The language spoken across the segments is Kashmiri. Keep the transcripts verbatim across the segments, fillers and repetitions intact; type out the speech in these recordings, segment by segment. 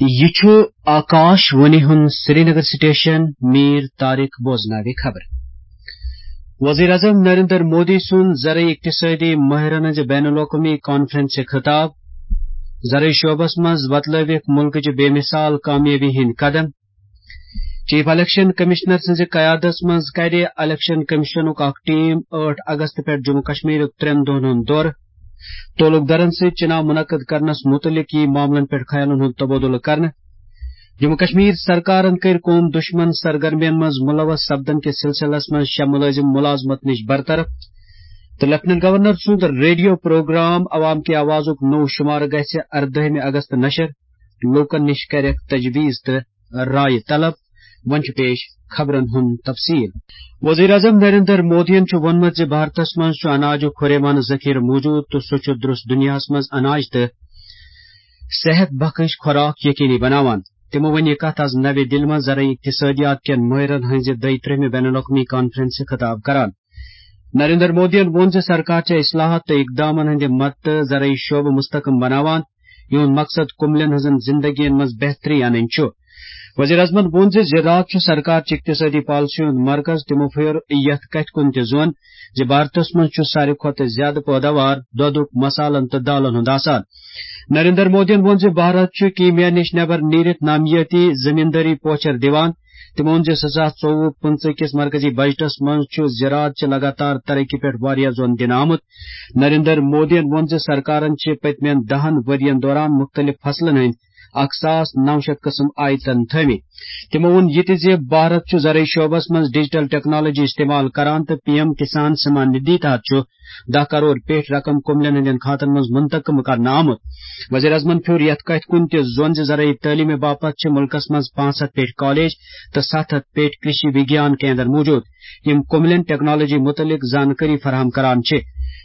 یہِ چھُ آکاش وانی ہُنٛد سرینگر سٹیشن، میٖر طارق بوزناوِ خبر۔ وزیر اعظم نریندر مودی سُنٛد زرعی اقتصٲدی ماہرن ہٕنٛزِ بین الاقوٲمی کانفرنسہِ خطاب۔ زرعی شعبس منٛز وۄتلٲوِکھ مُلکٕچہِ بے مثال کامیٲبی ہٕنٛدۍ قدم۔ چیف الیکشن کمشنر سٕنٛزِ قیادس منٛز کرِ الیکشن کمشنُک اکھ ٹیم ٲٹھ اگست پٮ۪ٹھ جموں کشمیرُک ترٛٮ۪ن دۄہن ہُنٛد دورٕ۔ تعلق دارن سۭتۍ چناو منعقد کرنس متعلق یِیہِ معاملن پٮ۪ٹھ خیالن ہُنٛد تبادلہٕ کرنہٕ۔ جموں کشمیر سرکارن کٔرۍ قوم دشمن سرگرمین منٛز ملوث سپدن کِس سلسلس منٛز شےٚ ملٲزم ملازمت نِش برطرف۔ تہٕ لیفٹیننٹ گورنر سُنٛد ریڈیو پروگرام عوام کی آوازُک نوٚو شمارٕ گژھِ اردٲہمہِ اگست نشر۔ لوٗکن نِش کرٮ۪کھ تجویز تہٕ رائے طلب۔ وۄنۍ چھُ پیش خبرن ہُنٛد تفصیل۔ وزیر اعظم نریندر مودیَن چھُ ووٚنمُت زِ بھارتس منٛز چھُ اناجُک ہُریمان ذخیرٕ موجود تہٕ سُہ چھُ درست دُنیاہَس منٛز اناج تہٕ صحت بخش خوراک یقینی بناوان۔ تِمو ووٚن یہِ کتھ از نوِ دِلہِ منٛز زرعی اقتصادیات کٮ۪ن مٲہرن ہٕنٛزِ دۄیہِ ترٛہمہِ بین الاقوٲمی کانفرنسہِ خطاب کران۔ نریندر مودیَن ووٚن زِ سرکار چھےٚ اصلاحات تہٕ اقدامن ہٕنٛدِ مدتہٕ زرعی شعبہٕ مستحکم بناوان، یِہُنٛد مقصد کُملٮ۪ن ہٕنٛزن زندگین منٛز بہتری انٕنۍ چھُ۔ وزیر اعظمن ووٚن زِ زراعت چھُ سرکار چہِ اقتصٲدی پالیسی ہُنٛد مرکز۔ تِمو پھیوٚر یتھ کتھِ کُن تہِ زون زِ بھارتس منٛز چھُ ساروی کھۄتہٕ زیادٕ پٲداوار دۄدُک، مسالن تہٕ دالن ہُنٛد آسان۔ نریندر مودیَن ووٚن زِ بھارت چھُ کیٖمیا نِش نٮ۪بر نیٖرِتھ نامیٲتی زٔمیٖندٲری پوچھر دِوان۔ تِمو ووٚن زِ زٕ ساس ژوٚوُہ پٕنٛژٕہ کِس مرکزی بجٹس منٛز چھُ زراعت چہِ لگاتار ترقی پٮ۪ٹھ واریاہ زون دِنہٕ آمُت۔ نریندر مودیَن ووٚن زِ سرکارن چھِ پٔتمٮ۪ن دَہن ؤرین دوران مُختٔلِف فصلن ہٕنٛدۍ اکھ ساس نو شیٚتھ قٕسم آیتن تھٲومٕتۍ۔ تِمو ووٚن یہِ تہِ زِ بھارت چھُ زرعی شعبس منٛز ڈیجیٹل ٹیکنالوجی استعمال کران تہٕ پی ایم کسان سمان ندھی تحت چھُ دَہ کرور پیٹھ رقم کُملٮ۪ن ہٕنٛدٮ۪ن کھاتن منٛز منتقل کرنہٕ آمُت۔ وزیر اعظمن پھیوٚر یتھ کتھِ کُن تہِ زون زِ زرعی تعلیمہِ باپتھ چھِ مُلکس منٛز پانٛژھ ہتھ پیٹھ کالج تہٕ ستھ ہتھ پیٹھ کرشی وگیان کیندر موجود، یِم کُملٮ۪ن ٹیکنالوجی مُتعلق زانکٲری فراہم کران چھِ۔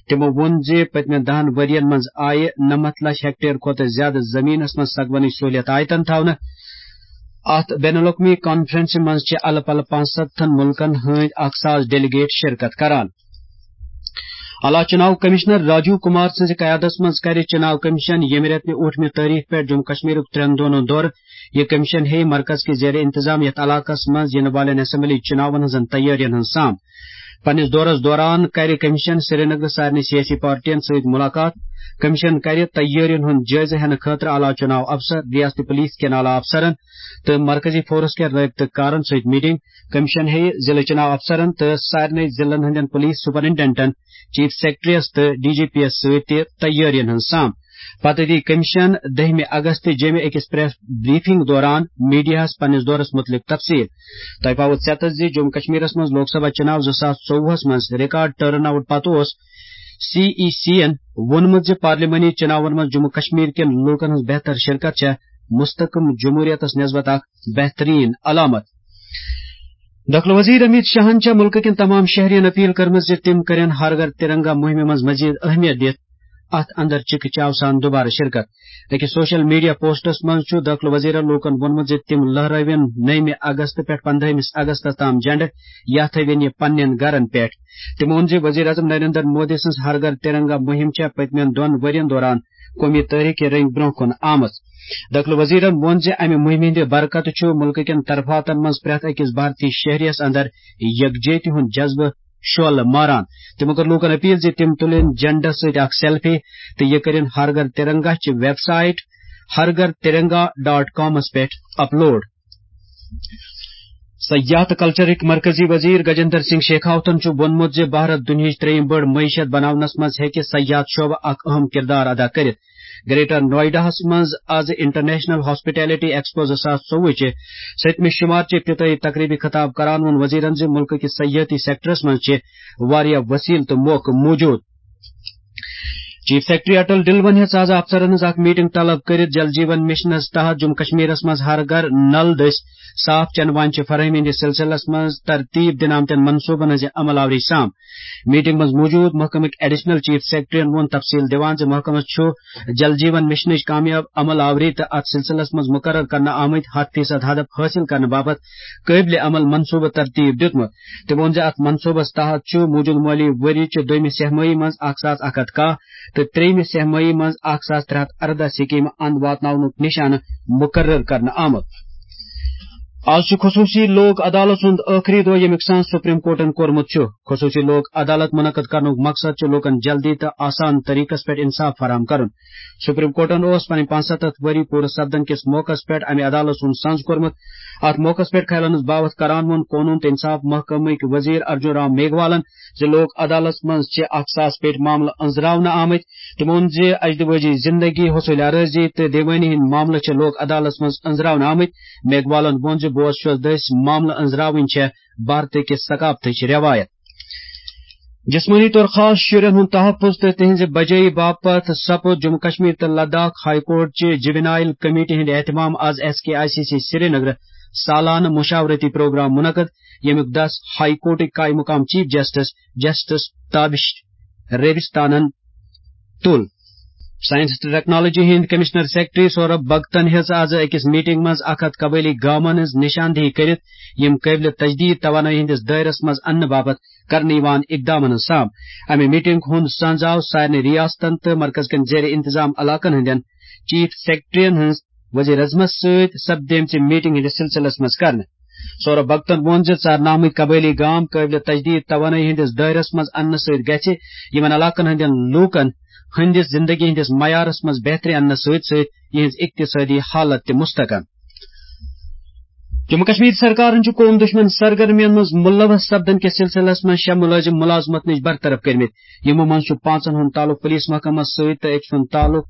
تِمو ووٚن زِ پٔتمٮ۪ن دَہن ؤرین منٛز آیہِ نَمَتھ لچھ ہیکٹر کھۄتہٕ زیادٕ زٔمیٖنَس منٛز سگونٕچ سہوٗلیت آیتن تھاونہٕ۔ اَتھ بین الاقوٲمی کانفرنسہِ منٛز چھِ الہٕ پلہٕ پانٛژھ سَتتھن مُلکن ہٕنٛدۍ اکھ ساس ڈیلیگیٹ شرکت کران۔ علاقہٕ چُناو کمشنر راجیو کمار سٕنٛزِ قیادتس منٛز کرِ چُناو کمیشن ییٚمہِ رٮ۪تہٕ نہِ ٲٹھمہِ تٲریخ پٮ۪ٹھ جموں کشمیرُک ترٛٮ۪ن دۄہن ہُنٛد دورٕ۔ یہِ کمیشن ہیٚیہِ مرکز کہِ زیر انتظام یتھ علاقس منٛز یِنہٕ والٮ۪ن اسمبلی چُناون ہٕنٛزن تیٲرین ہٕنٛز سام۔ پننِس دورس دوران کرِ کمیشن سرینگرٕ سارنٕے سیٲسی پارٹین سۭتۍ مُلاقات۔ کمیشن کرِ تیٲرین ہُنٛد جٲیزٕ ہٮ۪نہٕ خٲطرٕ اعلیٰ چُناو افسر، ریاستی پولیس کٮ۪ن اعلیٰ افسرن تہٕ مرکزی فورس کٮ۪ن رٲبطہٕ کارن سۭتۍ میٹنگ۔ کمیشن ہیٚیہِ ضلعہٕ چُناو افسرن تہٕ سارنٕے ضلعن ہٕنٛدٮ۪ن پولیس سپرنٹنڈنٹن، چیف سیکرٹریس تہٕ ڈی جی پی یس سۭتۍ تہِ تیٲرین ہٕنٛز سام۔ پتہٕ دی کمیشن دٔہمہِ اگست جیمہِ أکِس پریس بریفنگ دوران میڈیاہس پننِس دورس مُتعلق تفصیل۔ تۄہہِ پاوو ژٮ۪تس زِ جموں کشمیرس منٛز لوک سبھا چُناو زٕ ساس ژوٚوُہس منٛز ریکارڈ ٹرن آؤٹ پتہٕ اوس سی ای سی ین ووٚنمُت زِ پارلیمانی چُناون منٛز جموں کشمیر کٮ۪ن لوٗکن ہٕنٛز بہتر شرکت چھےٚ مستحکم جمہوریتس نسبت اکھ بہترین علامت۔ داخلہٕ وزیر امیت شاہن چھےٚ مُلکہٕ کٮ۪ن تمام شہرین اپیل کٔرمٕژ زِ تِم کرن ہر گھر ترنگا مُہِمہِ منٛز مزید اہمیت دِتھ اتھ اندر چکہ چاو سان دوبارٕ شرکت۔ أکِس سوشل میڈیا پوسٹس منٛز چھُ داخلہٕ وزیرن لوٗکن ووٚنمُت زِ تِم لہرٲوِن نٔیمہِ اگست پٮ۪ٹھ پندہمِس اگستس تام جنڈٕ یا تھٲوِن یہِ پننٮ۪ن گرن پٮ۪ٹھ۔ تِمو ووٚن زِ وزیر اعظم نریندر مودی سٕنٛز ہر گھر ترنگا مُہِم چھےٚ پٔتمٮ۪ن دۄن ؤرین دوران قومی تٲریخ کہِ رٔنگۍ برونٛہہ کُن آمٕژ۔ داخلہٕ وزیرن ووٚن زِ امہِ مُہِمہِ ہٕنٛدِ برکتہٕ چھُ مُلکہٕ کٮ۪ن طرفاتن منٛز پرٛٮ۪تھ أکِس بھارتی شہریَس اندر یکجہتی ہُنٛد جذبہٕ شعلہٕ ماران۔ تِمو کٔر لوٗکن اپیل زِ تِم تُلِن جنڈس سۭتۍ اکھ سیلفی تہٕ یہِ کٔرِن ہر گھر ترنگا چہِ ویب سائٹ ہر گھر ترنگا ڈاٹ کامس پٮ۪ٹھ اپلوڈ۔ سیاحت تہٕ کلچرٕکۍ مرکزی وزیر گجندر سنگھ شیخاوتن چھُ ووٚنمُت زِ بھارت دُنیاہٕچ ترٛیٚیِم بٔڑ معیشت بناونس منٛز ہیٚکہِ سیاحت شعبہٕ اکھ اہم کردار ادا کٔرِتھ۔ گریٹر نوئیڈاہس منٛز از انٹرنیشنل ہاسپٹیلٹی ایکسپو زٕ ساس ژوٚوُہ چہِ سٔتمہِ شمار چہِ افتتاحی تقریبہِ خطاب کران ووٚن وزیرن زِ مُلکہٕ کِس سیاحتی سیکٹرس منٛز چھِ واریاہ وسیلہٕ تہٕ موقعہٕ موجود۔ چیف سیکرٹری اٹل ڈلون ہیٚژ از افسرن ہٕنٛز اکھ میٹنگ طلب کٔرِتھ جل جیون مشنس تحت جموں کشمیرس منٛز ہر گھر نل دٔسۍ صاف چنہٕ وانہِ چہِ فراہمی ہٕنٛدِس سلسلس منٛز ترتیب دِنہٕ آمتٮ۪ن منصوبن ہٕنٛزِ عمل آوری سام۔ میٹنگ منٛز موجود محکمٕکۍ ایڈیشنل چیف سیکرٹریَن ووٚن تفصیل دِوان زِ محکمس چھُ جل جیون مشنٕچ کامیاب عمل آوری تہٕ اتھ سلسلس منٛز مقرر کرنہٕ آمٕتۍ ہتھ فیصد ہدف حٲصِل کرنہٕ باپتھ قٲبلِ عمل منصوبہٕ ترتیب دیُتمُت۔ تٔمۍ ووٚن زِ اتھ منصوبس تحت چھُ موٗجوٗدٕ مٲلی ؤری چہِ دوٚیمہِ سہ ماہی منٛز اکھ ساس اکھ ہتھ کاہ تہٕ ترٛیٚیِمہِ سہ مئی منٛز اکھ ساس ترٛےٚ ہتھ ارداہ سکیمہٕ اند واتناونُک نشانہٕ مقرر کرنہٕ آمُت۔ آز چھُ خصوصی لوک عدالت سُنٛد ٲخری دۄہ، ییٚمیُک سانس سپریم کورٹن کوٚرمُت چھُ۔ خصوصی لوک عدالت منعقد کرنُک مقصد چھُ لوٗکن جلدی تہٕ آسان طریقس پٮ۪ٹھ انصاف فراہم کرُن۔ سپریم کورٹن اوس پنٕنۍ پانٛژستتھ ؤری پوٗرٕ سپدن کِس موقعس پٮ۪ٹھ امہِ عدالت سُنٛد سنز کوٚرمُت۔ اتھ موقعس پٮ۪ٹھ خیالن ہٕنٛز باوتھ کران ووٚن قونوٗن تہٕ انصاف محکمٕکۍ وزیر ارجن رام میگھوالن زِ لوک عدالت منٛز چھِ اکھ ساس پیٹہِ معاملہٕ أنٛزراونہٕ آمٕتۍ۔ تٔمۍ ووٚن زِ اجدوٲجی زندگی، حصوٗل آرٲزی تہٕ دیوٲنی ہٕنٛدۍ معاملہٕ چھِ لوک عدالتس منٛز أنٛزراونہٕ آمٕتۍ۔ میگھوالن ووٚن زِ بوز چھُس دٔسۍ معاملہٕ أنٛزراوٕنۍ چھےٚ بھارتہٕ کِس ثقافتٕچ رٮ۪وایت۔ جسمٲنی طور خاص شُرٮ۪ن ہُنٛد تحفظ تہٕ تِہنٛزِ بجٲیی باپتھ سپُد جموں کشمیر تہٕ لداخ ہائی کورٹ چہِ جوینائل کمیٹی ہُنٛد اہتمام۔ آز S K I C C Srinagar سالانہٕ مشاورتی پروگرام منعقد، ییٚمیُک دس ہائی کورٹٕکۍ قائم مقام چیف جسٹس، جسٹس تابش ریوستانن تُل۔ سائنس تہٕ ٹیکنالوجی ہٕنٛدۍ کمشنر سیکرٹری سوربھ بھگتن ہیٚژ آز أکِس میٹنگ منٛز اکھ ہتھ قبٲئلی گامن ہٕنٛز نشاندہی کٔرِتھ، یِم قٲبلِ تجدید توانٲیی ہٕنٛدِس دٲیرس منٛز اننہٕ باپتھ کرنہٕ یِوان اقدامن ہٕنٛز سام۔ امہِ میٹنگ ہُنٛد سنز آو سارنٕے ریاستن تہٕ مرکز کٮ۪ن زیر انتظام علاقن ہٕنٛدٮ۪ن چیف سیکرٹرین ہٕنٛز وزیر اعظمس سۭتۍ سپدیمژِ میٹنگ ہٕنٛدِس سلسلس منٛز کرنہٕ۔ سوربھ بھگتن ووٚن زِ ژارنہٕ آمٕتۍ قبٲئلی گام قٲبلِ تجدید توانٲیی ہٕنٛدِس دٲیرس منٛز اننہٕ سۭتۍ گژھِ یِمن علاقن ہٕنٛدٮ۪ن لوٗکن ہٕنٛدِس زندگی ہٕنٛدِس معیارس منٛز بہتری اننس سۭتۍ سۭتۍ یِہٕنٛز اقتصٲدی حالت تہِ مستحکم۔ جموں کشمیر سرکارن چھُ قوم دشمن سرگرمین منٛز ملوث سپدن کِس سلسلس منٛز شےٚ مُلٲزِم مُلازمت نِش برطرف کٔرمٕتۍ۔ یِمو منٛز چھُ پانٛژن ہُنٛد تعلق پُلیٖس محکمس سۭتۍ تہٕ أکۍ سُنٛد تعلق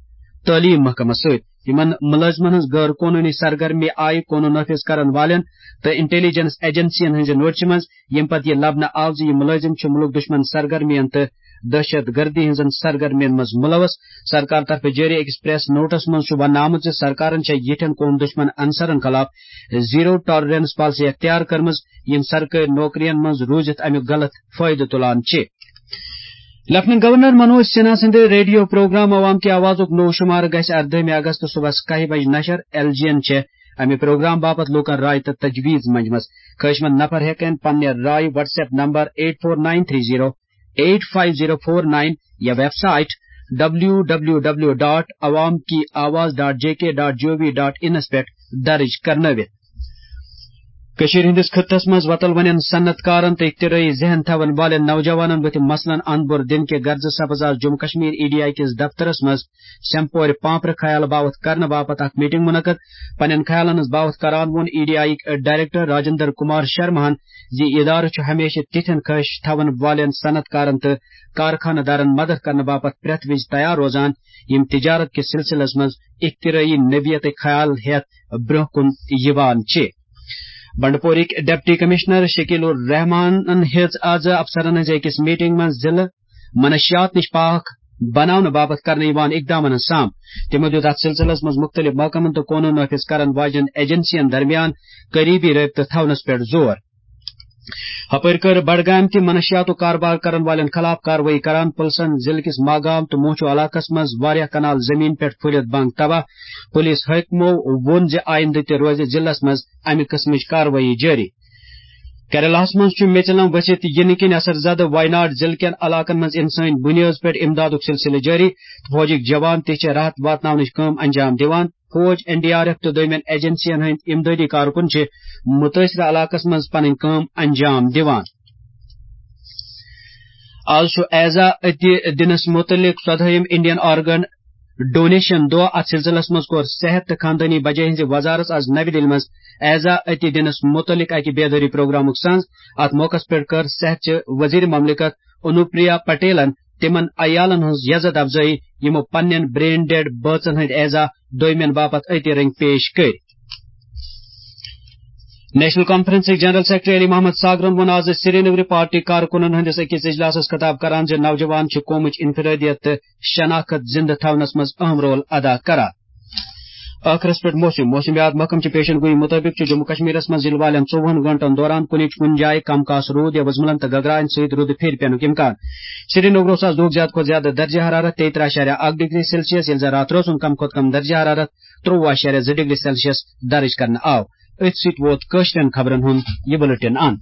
تعلیٖم محکمس سۭتۍ۔ یِمن مُلٲزمن ہٕنٛز غٲر قونوٗنی سرگرمی آیہِ قونوٗن نافذ کرن والٮ۪ن تہٕ انٹیلیجنس ایجنسین ہٕنٛزِ نوٹسہِ منٛز، ییٚمہِ پتہٕ یہِ لبنہٕ آو زِ یِم مُلٲزِم چھِ مُلک دُشمن سرگرمین تہٕ دہشت گردی ہٕنٛزن سرگرمین منٛز مُلوث۔ سرکار طرفہٕ جٲری أکِس پریس نوٹس منٛز چھُ وننہٕ آمُت زِ سرکارن چھےٚ یِتھٮ۪ن قوم دُشمن عنصرن خلاف زیرو ٹالرنس پالیسی اختیار کٔرمٕژ، یِم سرکٲرۍ نوکرین منٛز روٗزِتھ امیُک غلط فٲیدٕ تُلان چھِ۔ لیفٹیننٹ گورنر منوج سنہا سٕنٛدِ ریڈیو پروگرام عوام کی آوازُک نوٚو شمارٕ گژھِ اردٲہمہِ اگست صبحس کاہہِ بجہِ نشر۔ ایل جی این چھےٚ امہِ پروگرام باپتھ لوٗکن راے تہٕ تجویز منجمژ۔ خٲہِشمند نفر ہٮ۪کن پننہِ راے WhatsApp number eight four nine three zero eight five zero four nine یا ویب سائٹ www.awamkiawaz.jk.gov.in پٮ۪ٹھ درج کرنٲوِتھ۔ کٔشیٖرِ ہٕنٛدِس خطس منٛز وۄتل وۄنٮ۪ن صنعت کارن تہٕ اختراعی ذہن تھاون والٮ۪ن نوجوانن بُتھِ مسلن اند بور دِنہٕ کہِ غرضہٕ سپٕز آز Jammu Kashmir E D I کِس دفترس منٛز سیمپورِ پامپرٕ خیال باوتھ کرنہٕ باپتھ اکھ میٹنگ منعقد۔ پننٮ۪ن خیالن ہٕنٛز باوتھ کران ووٚن ای ڈی آئی یِکۍ ڈائریکٹر راجندر کمار شرماہن زِ ادارٕ چھُ ہمیشہٕ تِتھٮ۪ن خٲہِش تھاون والٮ۪ن صنعت کارن تہٕ کارخانہٕ دارن مدد کرنہٕ باپتھ پرٛٮ۪تھ وِزِ تیار روزان، یِم تجارت کِس سلسلس منٛز اختراعی نوعیتٕکۍ خیال ہٮ۪تھ برٛونٛہہ کُن یِوان چھِ۔ بنڈپورٕکۍ ڈپٹی کمشنر شکیل الرحمانن ہیٚژ آز افسرن ہٕنٛزِ أکِس میٹنگ منٛز ضلعہٕ منشیات نِش پاک بناونہٕ باپتھ کرنہٕ یِوان اقدامن ہٕنٛز سام۔ تِمو دیُت اتھ سلسلس منٛز مُختٔلِف محکمن تہٕ قونوٗن نافذ کرن واجٮ۪ن ایجنسین درمیان قریبی رٲبطہٕ تھاونس پٮ۪ٹھ زور۔ ہپٲرۍ کٔر بڈگامہِ تہِ منشیاتُک کاربار کرن والٮ۪ن خلاف کاروٲیی کران پُلسن ضلعہٕ کِس ماگام تہٕ موچو علاقس منٛز واریاہ کنال زمین پٮ۪ٹھ پھُلِتھ بنگ تباہ۔ پُلیٖس حٲکمو ووٚن زِ آیندٕ تہِ روزِ ضلعس منٛز امہِ قٕسمٕچ کاروٲیی جٲری۔ کیرلاہس منٛز چھُ میژِلم ؤسِتھ یِنہٕ کِنۍ اثر زدٕ ویناڈ ضلعہٕ کٮ۪ن علاقن منٛز انسٲنی بُنیٲدس پٮ۪ٹھ امدادُک سلسلہٕ جٲری تہٕ فوجٕکۍ جوان تہِ چھِ راحت واتناونٕچ کٲم انجام دِوان۔ فوج، این ڈی آر ایف تہٕ دوٚیمٮ۪ن ایجنسین ہٕنٛدۍ امدادی کارکُن چھِ مُتٲثرٕ علاقس منٛز پنٕنۍ کٲم انجام دِوان۔ آز چھُ ایزا عطیہ دِنس مُتعلق ژۄدہٲیِم انڈین آرگن ڈونیشن دۄہ۔ اتھ سلسلس منٛز کوٚر صحت تہٕ خاندٲنی بجٲے ہٕنٛزِ وزارت آز نَوِ دِلہِ منٛز ایزا عطیہ دِنس مُتعلق اکہِ بیدٲری پروگرامُک سنز۔ اتھ موقعس پٮ۪ٹھ کٔر صحت چہِ وزیر مملکت انوپریا پٹیلن تِمن عیالن ہٕنٛز یزتھ افزٲیی، یِمو پننٮ۪ن برین ڈیڈ بٲژن ہٕنٛدۍ ایزا دویمٮ۪ن باپتھ عطیہ رٔنگۍ پیش کٔرۍ۔ نیشنل کانفرنسٕکۍ جنرل سیکرٹری علی محمد ساگرن ووٚن آز سرینگرٕ پارٹی کارکُنن ہٕنٛدِس أکِس اجلاسس خطاب کران زِ نوجوان چھِ قومٕچ انفرادیت تہٕ شناخت زندٕ تھاونس منٛز اہم رول ادا کران۔ ٲخرس پٮ۪ٹھ موسم۔ موسمیات محکمہٕ چہِ پیشن گویی مُطٲبِق چھُ جموں کشمیرس منٛز یِنہٕ والٮ۪ن ژوٚوُہن گٲنٛٹن دوران کُنہِ کُنہِ جایہِ کم کاس روٗد یا وُزملن تہٕ گگراین سۭتۍ روٗدٕ پھیرِ پینُک امکان۔ سرینگرٕ اوس آز دۄہُک زیادٕ کھۄتہٕ زیادٕ درجہ حرارت تیٚیہِ ترٛہ اَشاریہ اَکھ ڈگری سیلسیس، ییٚلہِ زن راتھ روزُن کم کھۄتہٕ کم درجہ حرارت ترٛۆوُہ اَشاریہ زٕ ڈگری سیلسیس درج کرنہٕ آو۔ أتھۍ سۭتۍ ووت کٲشرٮ۪ن خبرن ہُنٛد یہِ بُلٹن اند۔